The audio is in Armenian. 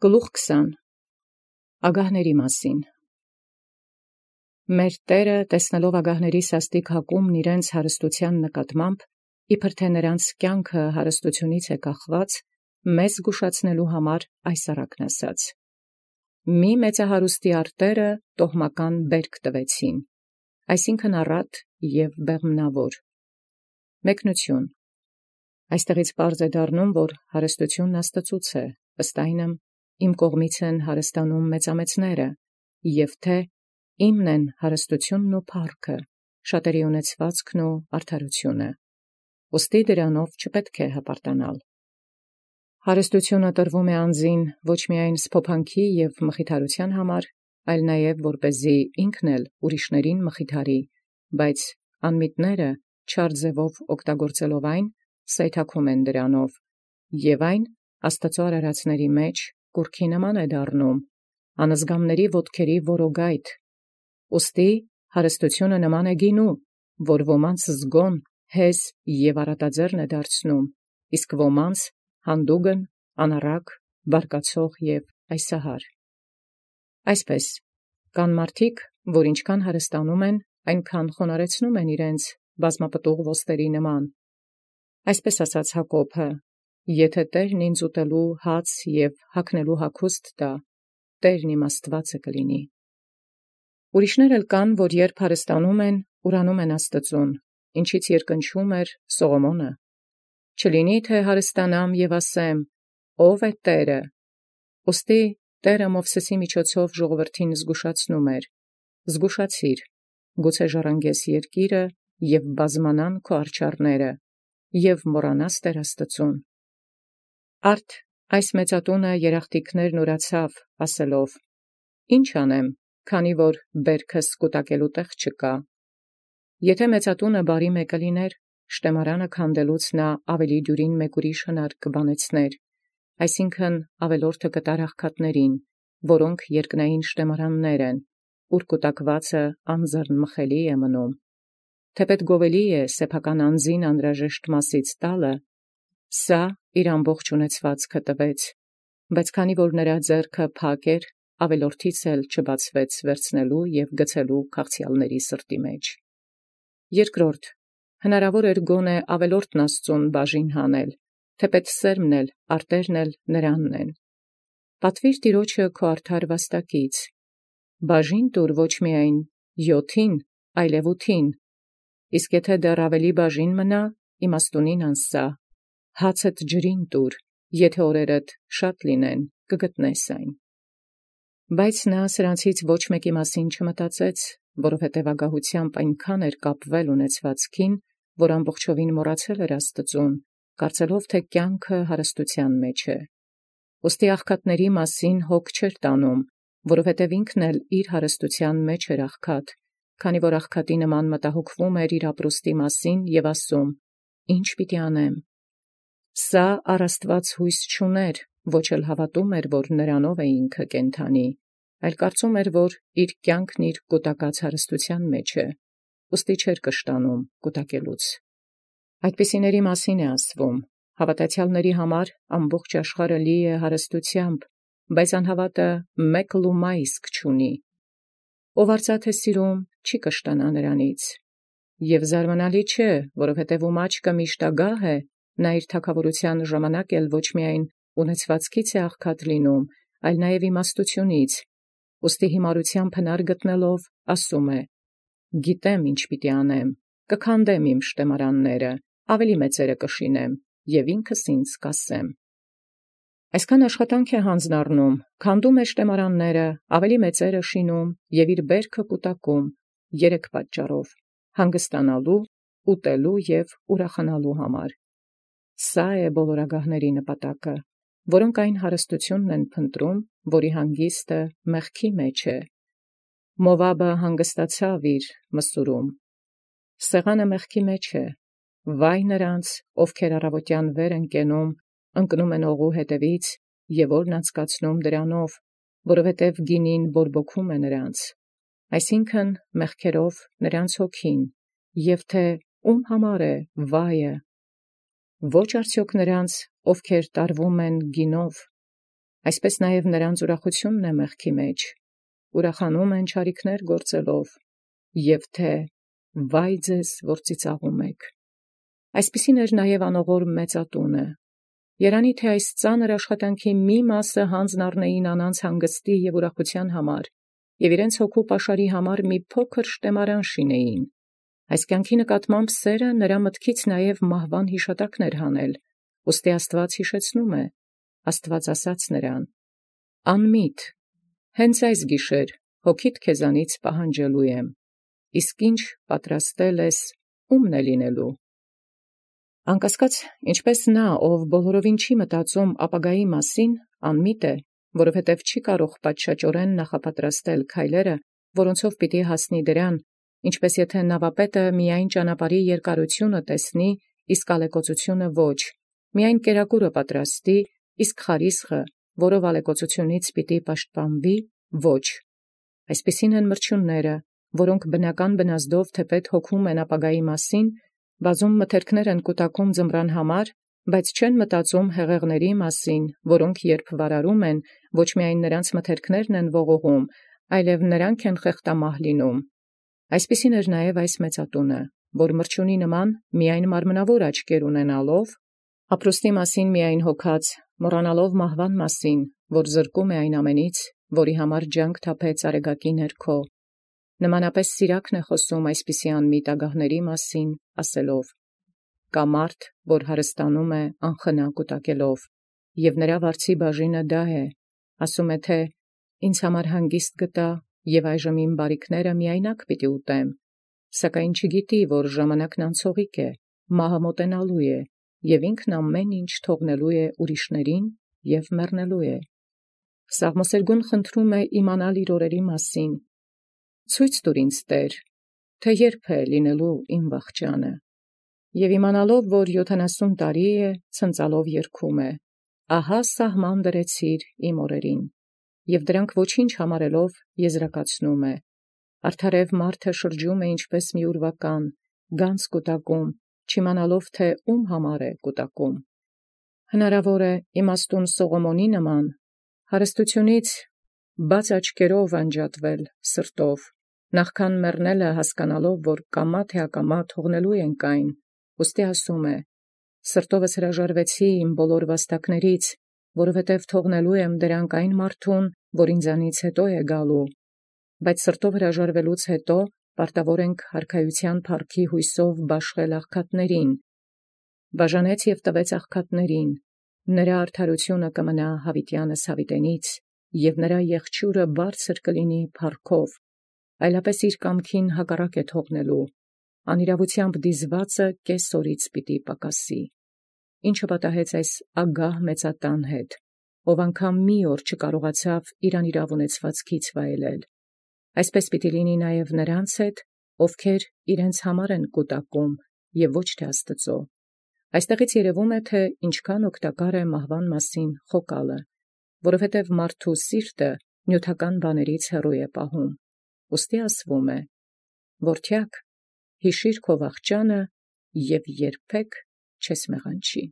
Գլուխ 20 Ագահների մասին Մեր Տերը տեսնելով ագահների սաստիկ հակումն իրենց հարստութեան նկատմամբ, իբր թե նրանց կյանքը հարստությունից է կախված, մեզ զգուշացնելու համար այս առակն ասաց. Մի մեծահարուստի արտերը տոհմական բերք տվեցին, այսինքն առատ և բեղմնավոր։ Մեկնություն Այստեղից պարզ է դառնում, որ հարստությունն Աստծուց է, ըստ այնմ իմ կողմից են հարստանում մեծամեծները, և թե իմն են հարստությունն ու փառքը, շատերի ունեցվածքն ու արդարությունը։ Ուստի դրանով չպետք է հպարտանալ։ Հարստությունը տրվում է անձին ոչ միայն սփոփանքի և մխիթարության համար, այլ նաև որպեսզի ինքն էլ ուրիշներին մխիթարի, բայց անմիտները չար ձևով օգտագործելով այն, սայթաքում են դրանով, և այն Աստծո արարածների մեջ կուռքի նման է դառնում, անզգամների ոտքերի որոգայթ։ Ուստի հարստությունը նման է գինու, որ ոմանց զգոն, հեզ և առատաձեռն է դարձնում, իսկ ոմանց հանդուգն, անառակ, բարկացող և այսահար։ Այսպես, կան մարդիկ, որ ինչքան հարստանում են, այնքան խոնարհեցնում են իրենց բազմապտուղ ոսկերի նման։ Այսպես ասաց Հակոբը. «Եթե Տերն ինձ ուտելու հաց և հագնելու հագուստ տա, Տերն իմ Աստուածը կլինի»։ Ուրիշներ էլ կան, որ երբ հարստանում են, ուրանում են Աստծուն, ինչից երկնչում էր Սողոմոնը. «Չլինի թե հարստանամ և ասեմ. ով է Տերը»։ Ուստի Տերը Մովսեսի միջոցով ժողովրդին զգուշացնում էր. «Զգուշացիր, գուցե ժառանգես երկիրը և բազմանան քո արջառները, և մոռանաս Տեր Աստծուն»։ Արդ այս մեծատունը երախտիկներն ուրացավ, ասելով. «Ինչ անեմ, քանի որ բերքս կուտակելու տեղ չկա»։ Եթե մեծատունը բարի մեկը լիներ, շտեմարանը քանդելուց նա ավելի դյուրին մեկ ուրիշ հնարք կբանեցներ, այսինքն ավելորդը կտար աղքատներին, որոնք երկնային շտեմարաններ են, ուր կուտակվածը անձեռն մխելի է մնում։ Թեպետ գովելի է սեփական անձին անհրաժեշտ մասից տալը, սա իր ամբողջ ունեցվածքը տվեց, բայց քանի որ նրա ձեռքը փակ էր, ավելորդից էլ չբացվեց վերցնելու և գցելու քաղցյալների սրտի մեջ։ Երկրորդ, հնարավոր էր գոնե ավելորդն Աստծուն բաժին հանել, թեպետ սերմն էլ, արտերն էլ նրանն են։ Պատվիր Տիրոջը քո արդար վաստակից, բաժին տուր ոչ միայն 7-ին, այլև 8-ին, իսկ եթե դեռ ավելի բաժին մնա, իմաստունին անսա, հացդ ջրին տուր, եթե օրերդ շատ լինեն, կգտնես այն։ Բայց նա սրանցից ոչ մեկի մասին չմտածեց, որովհետև ագահությամբ այնքան էր կապվել ունեցվածքին, որ ամբողջովին մոռացել էր Աստծուն, կարծելով, թե կյանքը հարստության մեջ է։ Ուստի աղքատների մասին հոգ չէր տանում, որովհետև ինքն էլ իր հարստության մեջ էր աղքատ, քանի որ աղքատի նման մտահոգվում էր իր ապրուստի մասին և ասում. «Ի՞նչ պիտի անեմ»։ Սա առ Աստված հույս չուներ, ոչ էլ հավատում էր, որ նրանով է ինքը կենդանի, այլ կարծում էր, որ իր կյանքն իր կուտակած հարստության մեջ է, ուստի չէր կշտանում կուտակելուց։ Այդպիսիների մասին է ասվում. հավատացյալների համար ամբողջ աշխարհը լի է հարստությամբ, բայց անհավատը մեկ լումա իսկ չունի։ Ով արծաթ է սիրում, չի կշտանա նրանից։ Եվ զարմանալի չէ, որովհետև ում աչքը միշտ ագահ է, նա իր թագավորության ժամանակ էլ ոչ միայն ունեցվածքից է աղքատ լինում, այլ նաև իմաստությունից, ուստի հիմարությամբ հնար գտնելով, ասում է. «Գիտեմ ինչ պիտի անեմ, կքանդեմ իմ շտեմարանները, ավելի մեծերը կշինեմ, և ինքս ինձ կասեմ»։ Այսքան աշխատանք է հանձն առնում, քանդում է շտեմարանները, ավելի մեծերը շինում և իր բերքը կուտակում, 3 պատճառով. հանգստանալու, ուտելու և ուրախանալու համար։ Սա է բոլոր ագահների նպատակը, որոնք այն հարստությունն են փնտրում, որի հանգիստը մեղքի մեջ է։ Մովաբը հանգստացավ իր մսուրում։ Սեղանը մեղքի մեջ է։ Վայ նրանց, ովքեր առավոտյան վեր են կենում, ընկնում են օղու հետևից և օրն անցկացնում դրանով, որովհետև գինին բորբոքում է նրանց, այսինքն մեղքերով նրանց հոգին, և թե ում համար է վայը։ Ոչ արդյոք նրանց, ովքեր տարվում են գինով։ Այսպես նաև նրանց ուրախութիւնն է մեղքի մեջ, ուրախանում են չարիքներ գործելով, և թե վայ ձեզ, որ ծիծաղում եք։ Այսպիսին էր նաև անողոր մեծատունը։ Երանի թե այս ծանր աշխատանքի մի մասը հանձն առնեին անանց հանգստի և ուրախութեան համար, և իրենց հոգու պաշարի համար մի փոքր շտեմարան շինեին։ Այս կյանքի նկատմամբ սերը նրա մտքից նաև մահվան հիշատակն էր հանել, ուստի Աստուած յիշեցնում է, Աստուած ասաց նրան. «Անմիտ, հենց այս գիշեր հոգիդ քեզանից պահանջելու եմ, իսկ ինչ պատրաստել ես, ո՞ւմն է լինելու»։ Անկասկած, ինչպես նա, ով բոլորովին չի մտածում ապագայի մասին, անմիտ է, որովհետև չի կարող պատշաճորեն նախապատրաստել քայլերը, որոնցով պիտի հասնի դրան, ինչպես եթե նավապետը միայն ճանապարհի երկարությունը տեսնի, իսկ ալեկոծությունը ոչ, միայն կերակուրը պատրաստի, իսկ խարիսխը, որով ալեկոծությունից պիտի պաշտպանվի, ոչ։ Այսպիսին են մրջյունները, որոնք բնական բնազդով թեպետ հոգում են ապագայի մասին, բազում մթերքներ են կուտակում ձմռան համար, բայց չեն մտածում հեղեղների մասին, որոնք երբ վարարում են, ոչ միայն նրանց մթերքներն են ողողում, այլև նրանք են խեղդամահ լինում։ Այսպիսին էր նաև այս մեծատունը, որ մրջյունի նման միայն մարմնավոր աչքեր ունենալով, ապրուստի մասին միայն հոգած, մոռանալով մահվան մասին, որ զրկում է այն ամենից, որի համար ջանք թափեց արեգակի ներքո։ Նմանապես Սիրակն է խոսում այսպիսի անմիտ ագահների մասին, ասելով. «Կա մարդ, որ հարստանում է անխնա կուտակելով, և նրա վարձի բաժինը դա է, ասում է թե. «Ինձ համար հանգիստ գտա, և այժմ իմ բարիքները միայնակ պիտի ուտեմ», սակայն չգիտի, որ ժամանակն անցողիկ է, մահը մոտենալու է, և ինքն ամեն ինչ թողնելու է ուրիշներին և մեռնելու է»։ Սաղմոսերգուն խնդրում է իմանալ իր օրերի մասին. «Ցույց տուր ինձ, Տէր, թե երբ է լինելու իմ վախճանը»։ Եւ իմանալով, որ 70 տարի է, ցնծալով երգում է. «Ահա սահման դրեցիր իմ օրերին», և դրանք ոչինչ համարելով եզրակացնում է. «Արդարև մարդը շրջում է ինչպես մի ուրվական, գանձ կուտակում, չիմանալով թե ում համար է կուտակում»։ Հնարավոր է իմաստուն Սողոմոնի նման հարստությունից բաց աչքերով անջատվել սրտով, նախքան մեռնելը հասկանալով, որ կամա թե ակամա թողնելու ենք այն, ուստի ասում է. «Սրտովս հրաժարվեցի իմ բոլոր վաստակներից, որովհետև թողնելու եմ դրանք այն մարդուն, որ ինձանից հետո է գալու, բայց սրտով հրաժարվելուց հետո պարտավոր ենք հարքայության փառքի հույսով բաշխել աղքատներին. բաժանեց և տվեց աղքատներին, նրա արդարությունը կմնա յաւիտեանս յաւիտենից, և նրա եղջիուրը բարձր կլինի փառքով, այլապես իր կամքին հակառակ է թողնելու, անիրաւութեամբ դիզվածը կես օրից պիտի պակասի»։ Ինչը պատահեց այս ագահ մեծատան հետ, ով անգամ մի օր չկարողացավ իր անիրաւ ունեցվածքից վայելել։ Այսպես պիտի լինի նաև նրանց հետ, ովքեր իրենց համար են կուտակում, և ոչ թե Աստուծո։ Այստեղից երևում է, թե ինչքան օգտակար է մահվան մասին խոկալը, որովհետև մարդու սիրտը նյութական բաներից հեռու է պահում։ Ուստի ասվում է. «Որդեակ, յիշիր քո վախճանը և երբեք չես մեղանչի»։